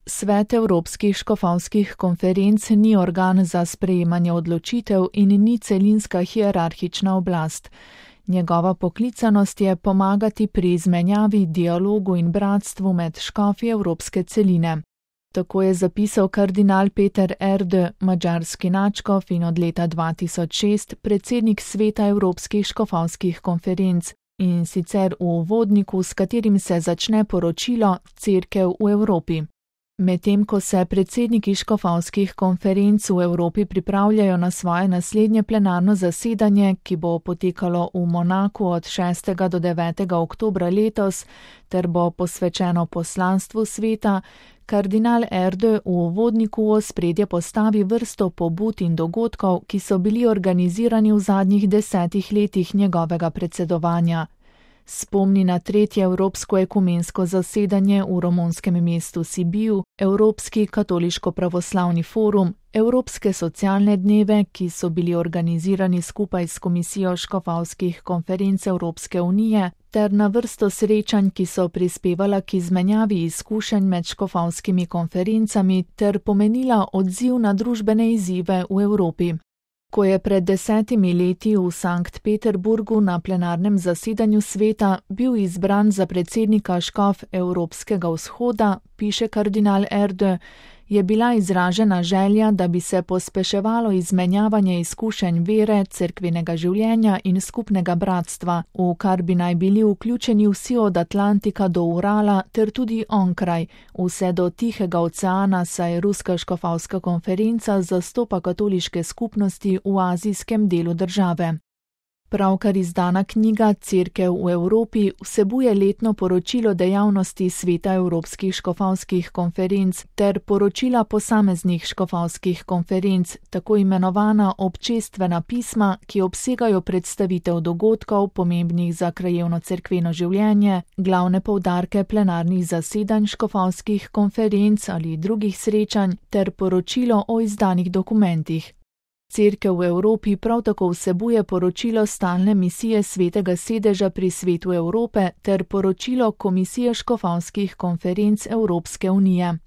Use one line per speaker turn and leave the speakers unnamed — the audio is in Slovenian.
Svet Evropskih škofovskih konferenc ni organ za sprejemanje odločitev in ni celinska hierarhična oblast. Njegova poklicanost je pomagati pri izmenjavi, dialogu in bratstvu med škofi evropske celine. Tako je zapisal kardinal Peter Erdő, madžarski nadškof in od leta 2006 predsednik Sveta Evropskih škofovskih konferenc, in sicer v uvodniku, s katerim se začne poročilo Cerkev v Evropi. Medtem ko se predsedniki škofovskih konferenc v Evropi pripravljajo na svoje naslednje plenarno zasedanje, ki bo potekalo v Monaku od 6. do 9. oktobra letos, ter bo posvečeno poslanstvu sveta, kardinal Erdő v uvodniku v ospredje postavi vrsto pobud in dogodkov, ki so bili organizirani v zadnjih 10 letih njegovega predsedovanja. Spomni na 3. Evropsko ekumensko zasedanje v romunskem mestu Sibiu, Evropski katoliško-pravoslavni forum, Evropske socialne dneve, ki so bili organizirani skupaj s Komisijo škofovskih konferenc Evropske unije, ter na vrsto srečanj, ki so prispevala k izmenjavi izkušenj med škofovskimi konferencami ter pomenila odziv na družbene izzive v Evropi. Ko je pred 10 leti v Sankt Peterburgu na plenarnem zasedanju sveta bil izbran za predsednika škof Evropskega vzhoda, piše kardinal Erdő, je bila izražena želja, da bi se pospeševalo izmenjavanje izkušenj vere, cerkvenega življenja in skupnega bratstva, v kar bi naj bili vključeni vsi od Atlantika do Urala ter tudi onkraj, vse do Tihega oceana, saj Ruska škofovska konferenca zastopa katoliške skupnosti v azijskem delu države. Pravkar izdana knjiga Cerkev v Evropi vsebuje letno poročilo dejavnosti Sveta Evropskih škofovskih konferenc ter poročila posameznih škofovskih konferenc, tako imenovana občestvena pisma, ki obsegajo predstavitev dogodkov, pomembnih za krajevno cerkveno življenje, glavne poudarke plenarnih zasedanj škofovskih konferenc ali drugih srečanj ter poročilo o izdanih dokumentih. Cerkev v Evropi prav tako vsebuje poročilo stalne misije Svetega sedeža pri Svetu Evrope ter poročilo Komisije škofovskih konferenc Evropske unije.